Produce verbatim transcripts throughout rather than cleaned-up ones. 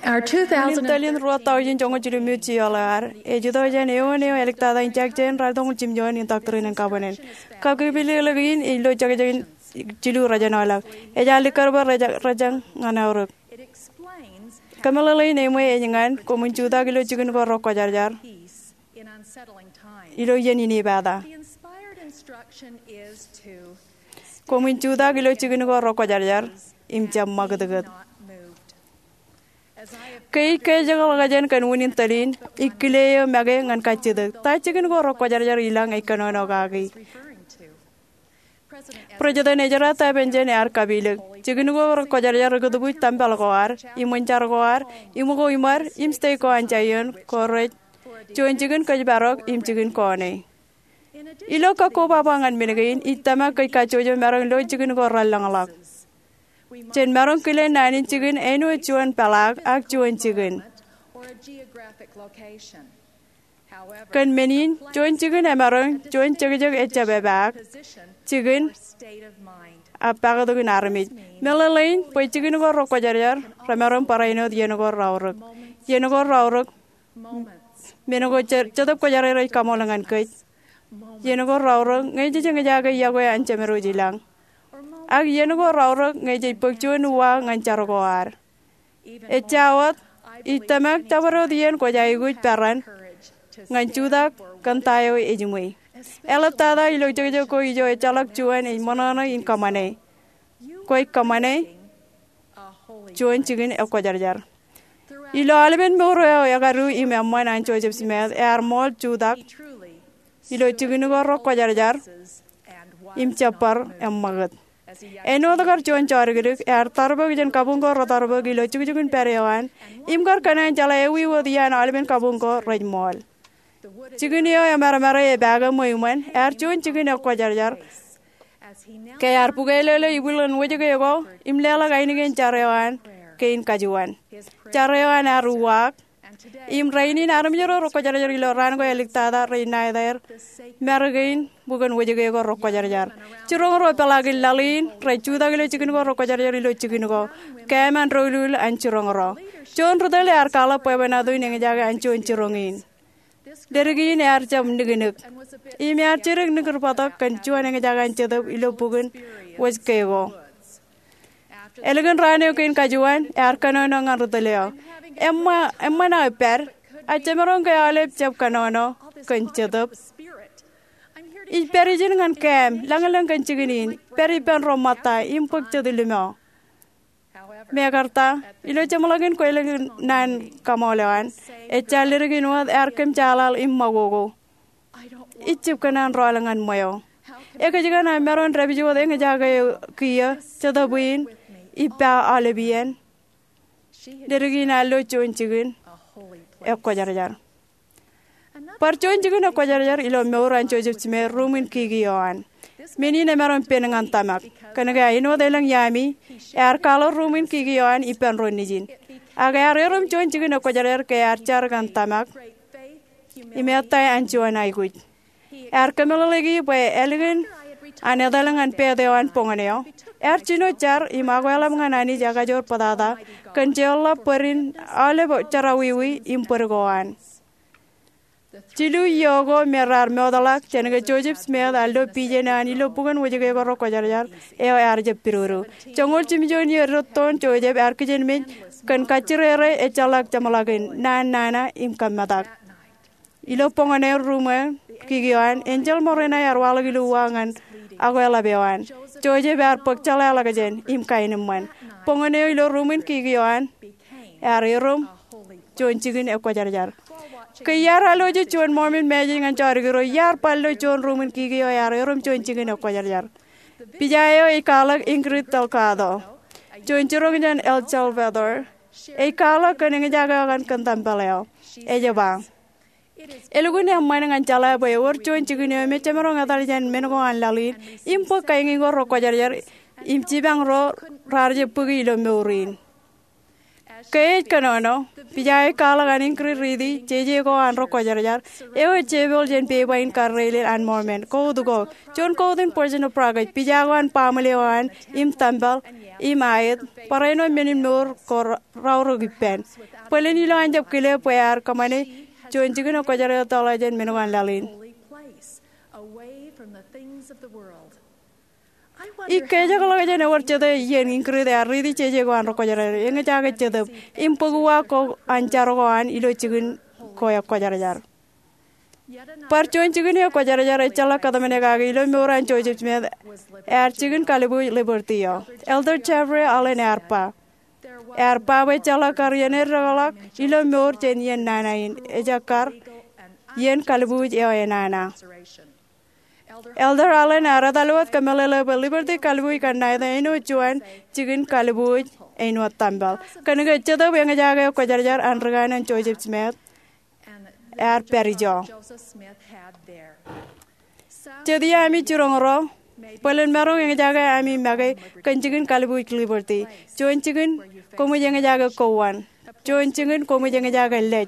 Our two thousand in tōl in ruo taujin joñoul jilu im eoon eo ear, ej itok jān eoon eo āliktata in jekjek in ralitōñoul jimjuon in Doctrine and Covenants. Kakipilōklōk in ej lo jekjek in jilu rōjānḷọk. Ej likkar bwe rej, rej ñan aorōk. Kōmeḷeḷein eṃṃan ej ñan, koṃwin jutak ilo jikin ko rekwōjarjar ilo iien in epata. Koṃwin jutak ilo jikin ko rekwōjarjar im jab ṃakūtkūt. Ke ij kōjeḷā kōj kōn unin tōl in, ij kile eō make ñan kajjitōk. Ta jikin ko rekwōjarjar ilañ ej kōnono kaki? President Ezra Taft Benson ear kapilōk, jikin ko rekwōjarjar ri kūtbuuj tempel ko ad, iṃōn jar ko ad, iṃōko iṃad, im state ko an Zion, ko rej juon jikin kōjparok im jikin kōṇe. Ilo kakkobaba ñan men kein, ij tōmak kōj kajjojo maroñ lo jikin ko relōñḷọk. Jen maroñ kile naan in jikin āinwōt juon peḷaak ak juon jikin. Kōn men in, juon jikin emaroñ juon jekjek ejjab epaak, jikin ak paktok in armej. Meḷeḷein bwe jikin ko rekwōjarjar remaroñ barāinwōt iien ko reaorōk. Iien ko reaorōk, men ko je-, Jetōb Kwōjarjar ej kaṃool ñan kōj. Iien ko reaorōk ñe jej eñjake yokwe an Jemedwōj ilañ. Ak iien ko reaorōk ñe jej bōk juon uwaak ñan jar ko ad. Ejja wōt, ij tōmak jabdewōt iien kwōj aikuj peran ñan jutak kōn ta eo ejiṃwe. Eḷaptata ilo jekjek ko ijo ejjeḷọk juon ej ṃōṇōṇō in kōṃṃane. Kwōj kōṃṃane juon jikin ekwōjarjar. Ilo aolepen mour eo ekadu im eṃṃan an Joseph Smith, ear ṃool jutak ilo jikin ko rekwōjarjar im jab bar eṃṃakūt. Āinwōt kar juon jodikdik, ear tarbōk jān kabuñ ko retarbōk ilo jukjukin pād eo an, im kar kōṇaan jeḷā ewi wōt iaan aolepen kabuñ ko rej ṃool. Jikin eo emarmare epaake ṃweo iṃōn, ear juon jikin ekwōjarjar. Ke ear bukwelōlō ibwiljin wōjke ko, im leḷọk ainikien jar eo an kein kajuon. Jar eo an ear uwaak. Im rainin armej ro rekwōjarjar ilo raan ko āliktata rej ṇa etaer, mar kein bukun wōjke ko rekwōjarjar. Jiroñ ro peḷaakin laḷ in rej jutak ilo jikin ko rekwōjarjar ilo jikin ko. Kōm an doulul an jiroñ ro. Juon ri tōl ear kwaḷọk bwebwenato in eñjake an juon jiroñ in. Ledik in ear jab niknik. Im ear jidik nikdik bōktok kōn juon eñjake an Jetōb ilo bukun wōjke ko. Ālikin raan eo kein kajuon, ear kōnono ñan ri tōl eo. Eṃṃan, eṃṃan aō pād, ak jemaroñ ke aolep jab kōnono kōn Jetōb? Ij pād ijin ñan kōm, lañlōñ kōn jikin in, pād ippān ro ṃōtta, im bōk jet limo. Mekarta, ilo jeṃḷọkin kweilọk in naan kaṃool eo an, ejja ledik in wōt ear kōmjaaḷaḷ im ṃakoko. Ij jab kōṇaan rọọl ñan ṃweo. Ekōjkan aō maroñ dāpij wōt eñjake kiiō, Jetōb in, ippa aolep iien. Ledik in ear lo juon jikin ekwōjarjar. Bar juon jikin ekwōjarjar ilo mour an Joseph Smith, ruuṃwin kiki eo an. Men in emaroñ pen ñan tōmak. Kōnke āinwōt elōñ iaami, ear kwaḷọk ruuṃwin kiki eo an ippān ro nejin. Ak ear erom juon jikin ekwōjarjar ke ear jar kōn tōmak im ettā an juon aikuj. Ear kōmeḷeḷeiki bwe ālikin an etal ñan pād eo an boñōn eo, ear jino jar im akweḷap ñan Anij ekajoor bōtata kōn jeorḷọk bōd in aolep jerọwiwi im bōd ko an. Jilu iiō ko me raar mootḷọk jān ke Joseph Smith ear lo vision eo an ilo bukun wōjke ko rekwōjarjar eo ear jab pidodo. Joñoul jimjuon iiō rūttoon Joseph ear kijenmej kōn kajjirere ejjeḷọk jeṃḷọkin naan nana im kōmmetak. Ilo boñōn eo ruuṃwin kiki eo an, enjeḷ ṃōrāṇe ear waḷọk ilo uwaak ñan akweḷap eo an. Joseph ear bōk jeḷāḷọkjeṇ im kaenōṃṃan. Boñōn eo ilo ruuṃwin kiki eo an ear erom juon jikin ekwōjarjar. Ke iar alwōj juon Mormon message ñan jodikdik ro, iar bar lo juon ruuṃwin kiki eo ear erom juon jikin ekwōjarjar. Pija eo ej kwaḷọk Ingrid Delgado, juon jiroñ jān El Salvador, ej kwaḷọk kōn eñjake eo an kōn tempel eo. Ej ba, elukkuun eṃṃan ñan jeḷā bwe ewōr juon jikin eo me jemaroñ etal jān men ko an laḷ in, im bōk kain ko rekwōjarjar, im jipañ ro raar jab bōki ilo mour in. Ke ej kōnono, pija eo ej kwaḷọk an inkūri riiti jeje ko an ri kwōjarjar eo ej jepel jān pepa in karreilel an Mormon. Kout ko, juon kout in Persian ippaṃ, pija ko an baaṃle eo an, im tempel, im aet, barāinwōt men in mour ko raorōk ippān. Bōlen ilo an jab kile bwe ear kōṃṃane juon jikin kwōjarjar eo ettoḷọk jān men ko an laḷ in. Ij kajekḷọk jān ewōr jete iien inkūri eo an riiti jeje ko an ri kwōjarjar, eñjake jetōb, im bōk uwaak ko an jar ko an ilo jikin ko eo kwōjarjar. Bar juon jikin eo kwōjarjar ejjeḷọk kōtmāne kake ilo mour an Joseph Smith, ear jikin kalibuuj Liberty eo. Elder Jeffrey Holland ear ba, ear ba bwe ejjeḷọk kar iien eddekḷọk ilo mour jān iien nana in, ejjeḷọk kar iien kalibuuj eo enana. Elder Holland ear etal wōt kōmeḷeḷe bwe Liberty kalibuuj kanniōk āinwōt juon jikin kalibuuj āinwōt tempel. Kōnke jetōb eñjake eo kwōjarjar an ri kanaan Joseph Smith ear pād ijo. Jet iiō ami jiroñ ro, bōlen maroñ eñjake ami make kōn jikin kalibuuj Liberty. Juon jikin koṃij eñjake kowaan. Juon jikin koṃij eñjake lej.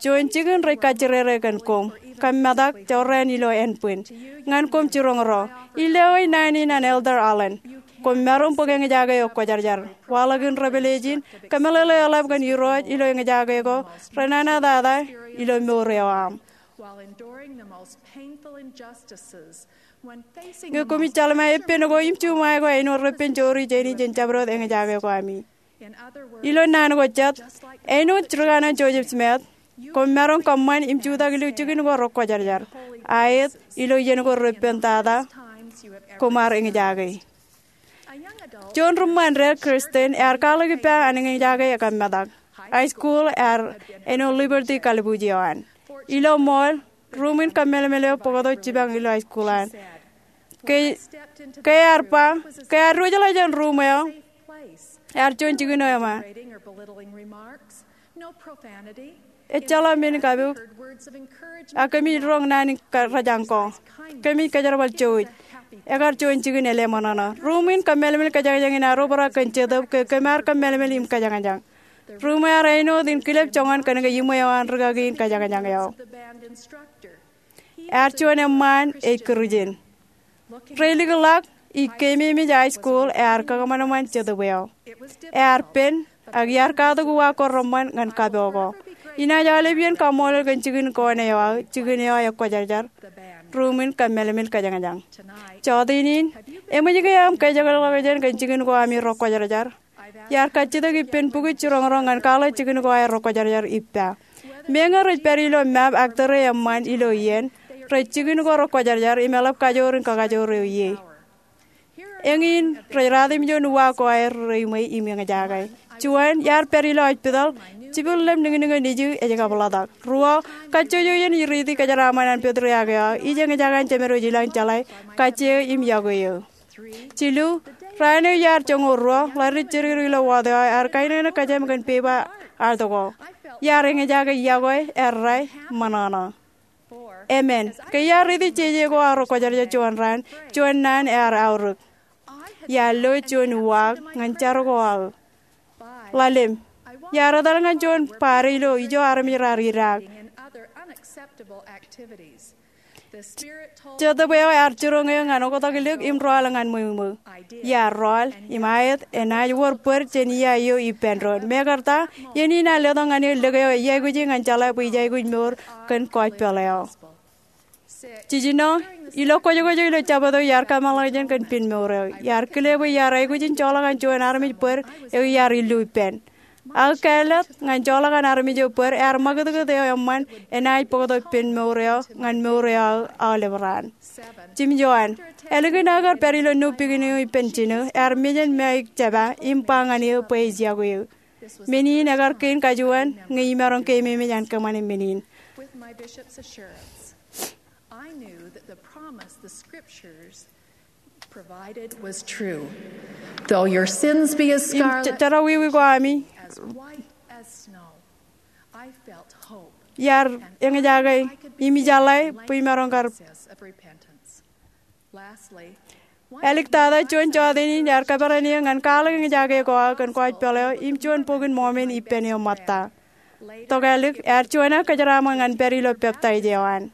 Juon jikin rej kajjirere kōn koṃ, kōm metak jorrāān ilo ānbwin. Ñan koṃ jiroñ ro, ij lewōj naan in an Elder Holland. Koṃ maroñ bōk eñjake eo kwōjarjar. Waḷọk in revelation, kōmeḷeḷe eḷap kōn Irooj ilo eñjake ko renana tata ilo mour eo aṃ. Ñe koṃij jeḷā epen ko im juṃae ko āinwōt repen joori jāni jān jabdewōt eñjake ko ami. Ilo naan ko jet, āinwōt ri kanaan Joseph Smith, koṃ maroñ kōṃṃan im jutak ilo jikin ko ri kwōjarjar, aet ilo iien ko repen tata koṃ ar eñjake. Juon ri ṃṃan dān, Kristen, ear kwaḷọk ippa an eñjake ekōmmetak. High school ear āinwōt Liberty kalibuuj eo an. Ilo mall, ruuṃwin kōmmeḷeḷe eo bōktok jipañ ilo high school an. Ke, ke ear ba, ke ear diwōjḷọk jān ruuṃ eo, ear juon jikin eo eṃṃan. Ejjeḷọk men kabuñ, ak kōmij roñ naan in kōjañ ko. Kōmij kōjerbal jouj. Ekar juon jikin āle ṃōṇōṇō. Ruuṃwin kōmmeḷeḷe kōjañjañ in ear obrak kōn jetōb ke kōm ar kōmmeḷeḷe im kōjañjañ. Ruuṃ eo ear āinwōt in kilep joñan kōnke iṃwe eo an rikaki in kōjañjañ eo. Ear juon eṃṃaan ej Kūrijin. Reilikḷọk, ij keememej high school ear kakōṃanṃan jetōb eo. Ear pen, ak iar katak uwaak ko reṃṃan ñan kapo ko. Inaaj aolep iien kaṃṃoolol kōn jikin ko ṇe eo aō, jikin eo ekwōjarjar, ruuṃwin kōmmeḷeḷe kōjañjañ. Jọteen in, eṃōj ke aṃ kajekḷọk jān kōn jikin ko ami rekwōjarjar? Iar kajjitōk ippān bukwi jiroñ ro ñan kwaḷọk jikin ko aer rekwōjarjar ippa. Meñe rej pād ilo map ak tōre eṃṃan ilo iien, rej jikin ko rekwōjarjar im eḷap kajoor in kakajoor eo ie. Eñin rej ratimjuon uwaak ko aer reiṃwe im eñjake. Juon, iar pād ilo hospital, jibwilḷap niñniñ eo nejū ej kōpḷatak. Ruo, kajjojo iien ij riiti kōjeraaṃṃan an Pātriark eo, ij eñjake an Jemedwōj ilañ jeḷā kajjie im yokwe eō. Jilu, raan eo iar joñoul ruo, ḷaddik jidik ilo ward eo, ear kainōknōk kōjām kōn pepa artōk ko. Iar eñjake yokwe, errā, ṃōṇōṇō. Emān, ke iar riiti jeje ko aō rekwōjarjar juon raan, juon naan ear aorōk. Iar lo juon uwaak ñan jar ko aō. Ḷalem, iar etal ñan juon party ilo ijo armej raar idaak. Jetōb eo ear jiroñ eō ñan oktak lik im rọọl ñan ṃweo ṃweo. Iar rọọl, im aet, enaaj wōr bōd jān ia eo ippān doon. Mekarta, iien in ear letok ñan eō lik eo ij aikuji ñan jeḷā bwe ij aikuj mour kōn gospel eo. Jiljino, ilo kwōjkwōj eo ilo Jabōt eo iar kōmeḷeḷe jān kōn pen mour eo. Iar kile bwe iar aikuj in joḷọk an juon armej bōd eo iar illu ippān. Ak kāālōt, ñan joḷọk an armej eo bōd, ear ṃakūtkūt eo eṃṃan enaaj bōktok pen mour eo ñan mour eo aō aolep raan. Jimjuon, ālikin aō kar pād ilo nu pikin eo ippān jino, ear mejān māik jeba im ba ñan eō bwe ej yokwe eō. Men in ekar kein kajuon ñe imaroñ keememej an kōṃṃane men in. With my bishop's assurance, I knew that the promise the scriptures provided was true. Though your sins be as scarlet, im jerawiwi ko ami, as white as snow, I felt hope, iar eñjake, im ij jeḷā bwe imaroñ kar. Lastly, Āliktata juon jọteen in ear kōperan eō ñan kwaḷọk eñjake ko aō kōn kwōj peḷ eo im juon bokin Mọmon ippān eo ṃōtta. Tokālik ear juon aō kōjeraaṃṃan ñan pād ilo peptaij eo an.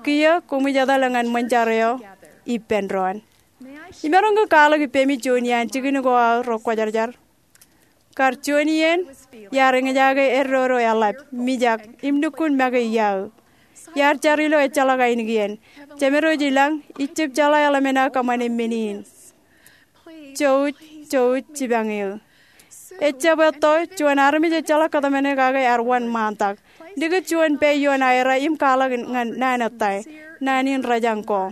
Kiiō koṃij etale ñan ṃōn jar eo ippān doon. Imaroñ ke kwaḷọk ippemi juon iaan jikin ko aō ro kwōjarjar? Kar juon iien, iar eñjake eddodo eḷap, mijak, im lukkuun make iaō. Iar jar ilo ejjeḷọk ainikien. Jemedwōj i lañ, ij jab jeḷā eḷmen aō kōṃṃane men in. Jouj, jouj jipañ eō. Ejjab etto juon armej ejjeḷọk kōtmāne kake ear wanṃaantak. Likūt juon pā ioon aera im kwaḷọk ñan naan ettā, naan in rejañ ko.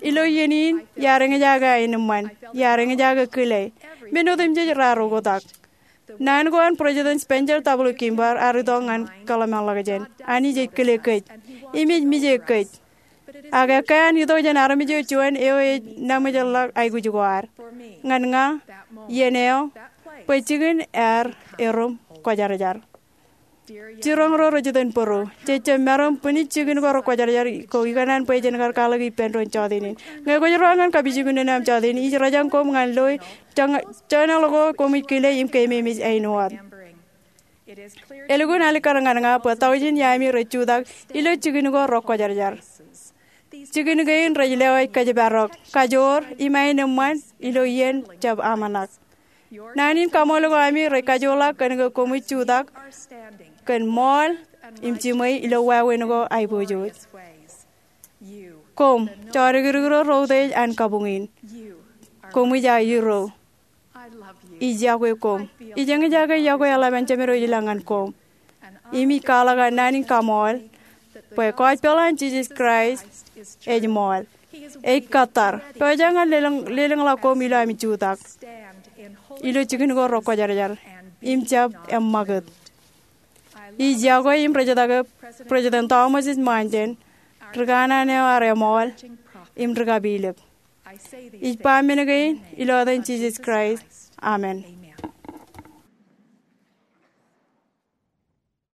Ilo iien in, iar eñjake aenōṃṃan, iar eñjake kile, men otemjej raar oktak. Naan ko an President Spencer W. Kimball ear itok ñan kōḷmānḷọkjeṇ. Anij ej kile kōj im ej mije kōj. Ak ekkā an itok jān armej eo juon eo ej naṃōjḷọk aikuj ko ad. Ñan ña, iien eo, bwe jikin ear erom kwōjarjar. Jiroñ ro rej itōn bōro, jej jab maroñ bwinij jikin ko ro kwōjarjar ko ikōṇaan bwe jen kar kwaḷọk ippān doon jọteen in. Ñe kwōj ruwaak ñan kapijuknen aṃ jọteen, ij rejañ koṃ ñan lo joñan ko koṃij kile im keememej āinwōt. Elukkuun alikkar ñan ña bwe taujin iaami rej jutak ilo jikin ko ro kwōjarjar. Jikin kein rej lewōj kōjparok, kajoor, im aenōṃṃan ilo iien jab aṃanak. Naan in kaṃool ko ami rej kajoorḷọk kōn ke koṃij jutak kōn ṃool im jiṃwe ilo wāween ko aiboojoj. Koṃ, jọdikdik ro ro utiej an kabuñ in. Koṃij aō irooj. Ij yokwe koṃ. Ij eñjake yokwe eḷap an Jemedwōj ilañ ñan koṃ. Im ij kwaḷọk an naan in kaṃool bwe gospel an Jisōs Kraist ej ṃool. Ej kōttar. Pojak ñan lelōñ, lelōñḷọk koṃ ilo ami jutak ilo jikin ko ro kwōjarjar im jab eṃṃakūt. Ij yokwe im rejjitōk President Thomas S. Monson, ri kanaan eo ear eṃool, im ri kapilōk. Ij ba men kein ilo etan Jisōs Kraist, amen.